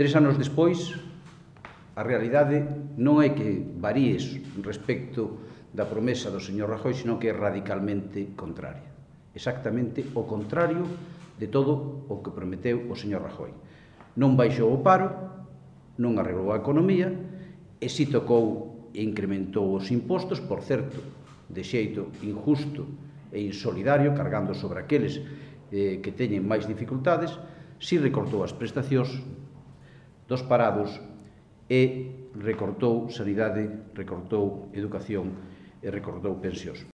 3 anos despois, a realidade non é que varíes respecto da promesa do señor Rajoy, sino que é radicalmente contraria. Exactamente o contrario de todo o que prometeu o señor Rajoy. Non baixou o paro, non arreglou a economía, e si tocou e incrementou os impostos, por certo, de xeito injusto e insolidario, cargando sobre aqueles que teñen máis dificultades, si recortou as prestacións dos parados e recortou sanidade, recortou educación e recortou pensións.